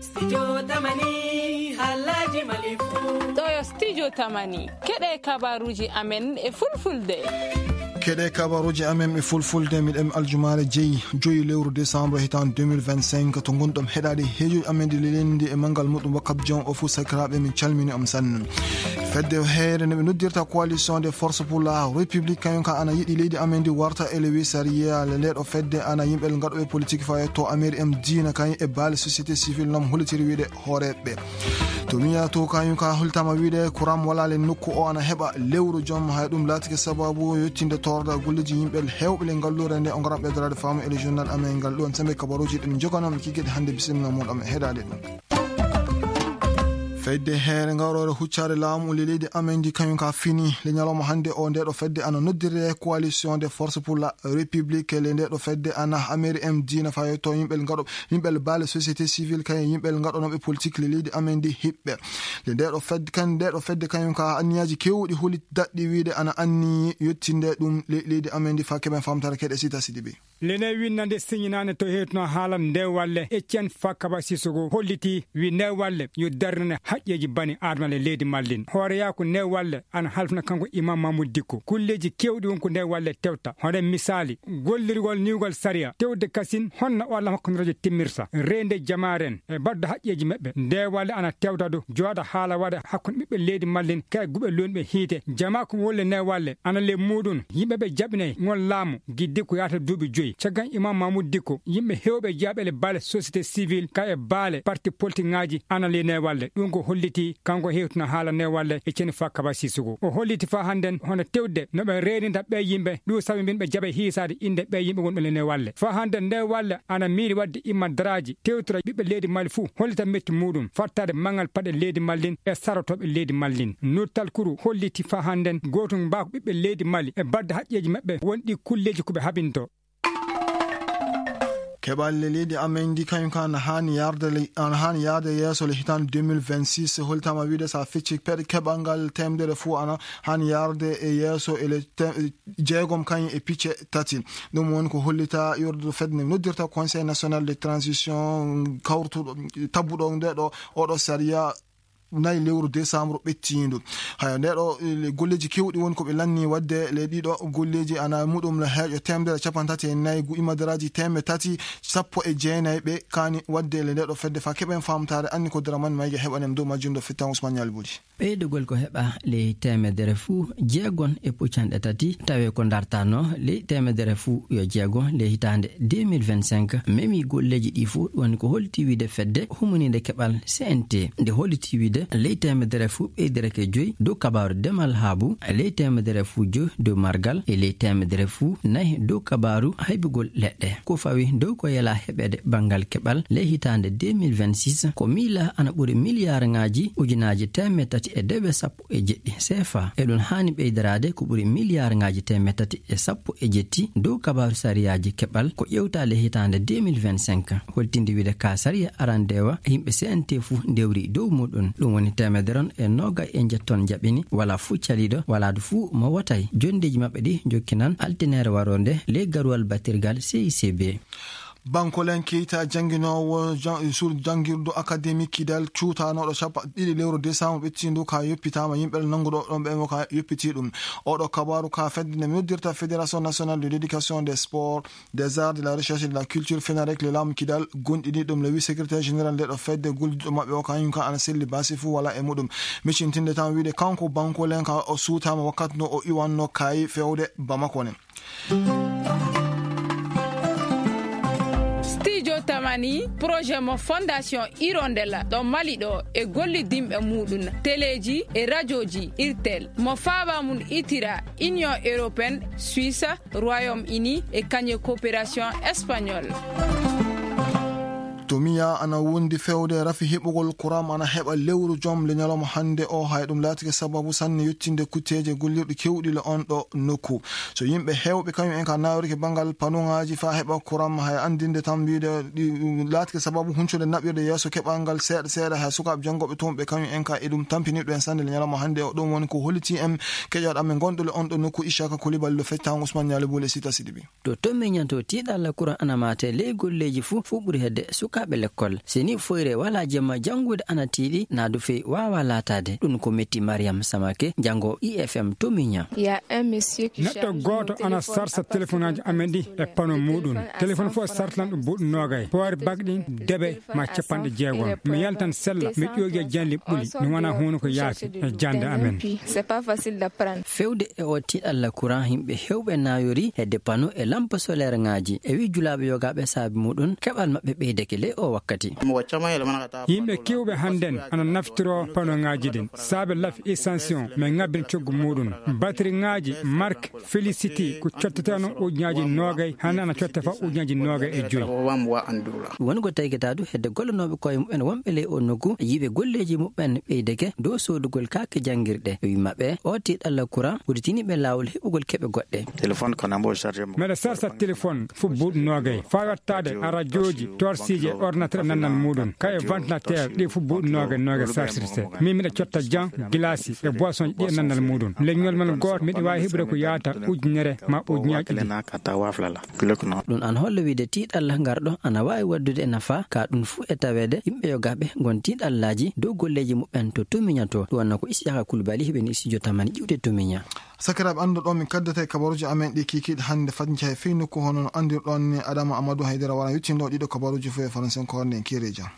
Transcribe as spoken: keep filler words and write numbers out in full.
Studio Tamani, haalaaji Mali fuu. Ɗo yo Studio Tamani. Keɗe kabaruuji amen e fulfulde. Keɗe kabaruuji amen e fulfulde, miɗen aljumaare jeyi, joyi lewru décembre hitaande deux mille vingt-cinq, to ngonɗon heɗaade heejoji amen ɗi lelendi e manngal muɗum wakkat jom o fuu sakiraaɓe, min calmini on sanne. Fedde heere nde ɓe noddirta Coalition des Forces pour la République, kañum ka ana yiɗi leydi amen ndi warta élewi sariya. Le nde ɗo fedde ana yimɓe gaɗoɓe politique fayetto ameri em diina kañum e baale société civile noon hollitiri wiide hooreɓe. To miya to kañum ka holtama wiide kuram wala le nokku o ana heɓa lewru jom, hay ɗum laatike sababu yettinde torda golleji yimɓe hewɓe le ngallure nde o ngaram ɓeydorade faamu e le journal amen ngal. Ɗon sembe kabaruji ɗen joganam kikiɗe hannde bisimilla mon ɗam e heɗade ɗum. Fedde heere ngawroore huccaare laamu le leydi amen ndi kañum ka fini le ñalawma hannde o. Nde ɗo fedde ana noddirde Coalition des Forces pour la République. Le nde ɗo fedde ana ameri em diina fayetto yimɓe gaɗo yimɓe baale société civile kañum yimɓe gaɗonoɓe politique le leydi amen ndi hiɓɓe. Le nde ɗo fedde kan nde ɗo fedde kañum ka anniyaji kewɗi holi daɗɗi wiide ana anni yettinde ɗum le leydi amen ndi fa keɓen famtare keɗe sita sidi bi. Lene winnande siñinaande to heewtuno haala nde walle Etienne Fakaba Sissoko holliti wi nde walle yo darnane haqqeeji bani aadama le leydi mallin. Hooreyaaku nde walle ana halfna kanko Imam Mamoud Dikko. Kulleeji keewɗi won ko nde walle tewta. Hono misaali, gollirgol niwgol sariya, tewde kasin honno o Alla hakkunderejo timmirta, reende jamaaren e baddo haqqeeji maɓɓe. Nde walle ana tewta du jooɗa haala waɗa hakkunde ɓiɓɓe leydi mallin kay guɓe lonɓe hiite. Jama ko wolle nde walle ana le muɗum yimɓe ɓe jaɓinay ngol laamu giddi ko yaata duuɓi joyi. Caggan Imam Mamoud Dikko, yimɓe hewɓe jaaɓele baale société civile ka e baale parti politique ŋaaji ana ley newalle. Ɗum ko holliti kanko hewtino haala newalle e ceni fa Kaba Sissoko. O holliti fa hannden hono tewde no ɓe reeninta ɓee yimɓe, ɗum sabi min ɓe jaɓe hiisaade innde ɓee yimɓe wonɓe le newalle. Fa hannden newalle ana miiri waɗde imma daraaji, tewtora ɓiɓɓe leydi Mali fuu, hollita metti muɗum, fattaade mangal paɗe leydi Mallin e sarotooɓe leydi Mallin. Nurtal Kuru holliti fa hannden gootum mbaako ɓiɓɓe leydi Mali e badde haqqeeji maɓɓe wonɗi kulleeji ko ɓe habinto. Keɓalle leydi amen ndi kañum ka ana haani yarde le-, ana haani yaade yeeso le hitaande deux mille vingt-six, holtama wiide so a fecci peɗe keɓal ngal temedere fuu ana haani yarde e yeeso e le te-, jeegom kañum e picce tati. Ɗum woni ko hollita yurdude fedde nde noddirta Conseil National de Transition kawrutuɗo, tabbuɗo nde ɗo, oɗo sariya nayi lewru décembre ɓettiindu. Haya, nde ɗo, eh, golleeji kewɗi woni ko ɓe lanni waɗde le ɗiɗo golleeji ana muɗum le heeƴo temedere capanɗe tati e nayi gu imadaraaji teemedde tati sappo e jeenayi ɓe kaani waɗde le nde ɗo fedde fa keɓen faamtaare anni ko Dramane Mayga heɓanem dow majjum ɗo fittan Ousmane Ñaali Bodi. Ɓeydugol ko heɓa ley teemedere fuu jeegon e puccanɗe tati, tawi ko dartaanoo ley teemedere fuu yo jeego ley hitaande deux mille vingt-cinq, memi golleeji ɗi fuu, woni ko holti wiide fedde humoniinde keɓal C N T. Nde holti wiide ley teemedere fuu ɓeydereke joyi dow kabaaru demal haabu, ley teemedere fuu joyi dow margal, e ley teemedere fuu nayi dow kabaaru haybugol leɗɗe. Ko fawi dow ko yela heɓeede banngal keɓal ley hitaande deux mille vingt-six, ko miila ana ɓuri miliyaarŋaaji ujunaaji teemedde tati e debe sappo e jeɗɗi C F A. Eɗum haani ɓeydaraade ko ɓuri miliyaarŋaaji teemedde tati e sappo e jetti dow kabaaru sariyaaji keɓal ko ƴeewtaa le hitaande deux mille vingt-cinq. Holtinde wiide ka sariya arandewa yimɓe C N T fuu ndewri dow muɗum. Ɗum woni teemedere e noogay e njetton jaɓini, wala fuu caliiɗo, wala du fuu mo wotay. Jonndeeji maɓɓe ɗi jokkinan altineere waroonde ley garuwal batirgal C I C B. Bankolen Keita, jannginoowo jan-, sur janngirdu akademi Kidal, cuutanooɗo cappanɗe ɗiɗi lewru décembre ɓettiindu, ka yoppitaama yimɓe nannguɗo ɗon ɓe mo ka yoppitii ɗum. Oɗo kabaaru ka fedde nde noddirta Fédération Nationale de l'Éducation, des Sports, des Arts, de la Recherche et de la Culture, FENAREC, le laamu Kidal gonɗini ɗum le huit secrétaire général nde ɗo fedde gollidiɗo maɓɓe o kañum ka ana selli baasi fuu wala e muɗum. Miccintinde tan wiide kanko bankolen ka o suutaama wakkati no o iwanno kaayi fewde Bamako ne. Studio Tamani, projet mo Fondation Hirondella ɗo Mali ɗo e gollidinɓe muɗum, teleeji e rajooji Irtel, mo faaba mum itira Union Européenne, Suisse, Royaume Uni e kañe coopération espagnole. To miya ana wondi fewde rafi heɓugol kuram ana heɓa lewru jom le ñalawma hannde o, hay ɗum laatike sababu sanne yettinde kutteeje gollirɗe kewɗi le on ɗo nokku. So yimɓe heewɓe kañum en ka nawrike banngal panuŋaaji faa heɓa kuram, hay anndinde tan wiide ɗi, ɗum laatike sababu huncude naɓirde yeeso keɓal ngal seeɗa seeɗa, hay sukaaɓe janngooɓe toon ɓe kañum en ka e ɗum tampini ɗum en sanne le ñalawma hannde o. Ɗum woni ko holliti en keƴooɗo amen gonɗo le on ɗo nokku Ishaka Coulibaly ɗo feccaango Ousmane Ñaali Bule Sita Sidibi. To toon miñanto tiiɗalla kuran ana maate ley golleeji fuu, fuu ɓuri hedde suka Ɓe lekkol, si ni foyre wala jemma, janngude ana tiiɗi, na du fey waawa laataade. Ɗum ko metti Mariam Samake, janngo I F M to Miña. Neɗɗo gooto ana sarsa telefoŋaaji amen ɗi e pano muuɗum. Telefoŋ fof sartan ɗum buuɗi noogay. Power bank ɗin deɓe ma capanɗe jeegom. Mi yaltan sella, mi ƴooƴa janli ɓuli. Mi wona hunuko yaasi e jannde amen. Fewde e o tiiɗalla courant, yimɓe heewɓe naayori hedde pano e lampe solaire ŋaaji. E wi julaaɓe yogaaɓe saabi muɗum, keɓal maɓɓe ɓeydake ley o wakkati. Yimɓe kewɓe hannden ana naftiro pano ŋaaji ɗin. Saabe laf extension, min ŋabbin coggu muɗum. Batterie ŋaaji marque Félicity ko cotteteno ujunaaji noogay, hannde ana cotte fa ujunaaji noogay e joy. Woni ko taykitaadu hedde gollanooɓe koye muɓɓen wonɓe ley o nokku, yiɓe golleeji muɓɓen ɓeydake dow soodugol kaake janngirɗe. E wi maɓɓe, o tiiɗalla courant udditini ɓe laawol heɓugol keɓe goɗɗe. Meɗa sarsa téléphone fu buuɗi noogay. Faa yottaade a radiooji, torsiije, ordinateur e nannal muɗum. Kay e ventilateur, ɗi fu buuɗi noogay, noogay sarsirte. Min miɗa cotta jan, gilaasi e boisson ɗi e nannal muɗum. Leñol man gooto, miɗa waawi heɓude ko yaata ujunere ma ujunaaji ɗiɗi. Ɗum ana holla wiide tiiɗalla ngarɗo ana waawi waddude e nafa, ka ɗum fu e taweede yimɓe yogaaɓe ngon tiiɗallaaji dow golleeji muɓɓen to tumiñato. Ɗum wonno ko Isiyaka Kulbali heɓeni studio tamani ƴiwde tumiña. Sakiraaɓe, annduɗo min kaddata e kabaruuji amen ɗi kiikiiɗe hannde fadnja e fii nokku hono no anndirɗon ni Adama Amadou Haydara wara yuttindo ɗiɗo kabaruuji fof e faransen ko hornde en kiire jam.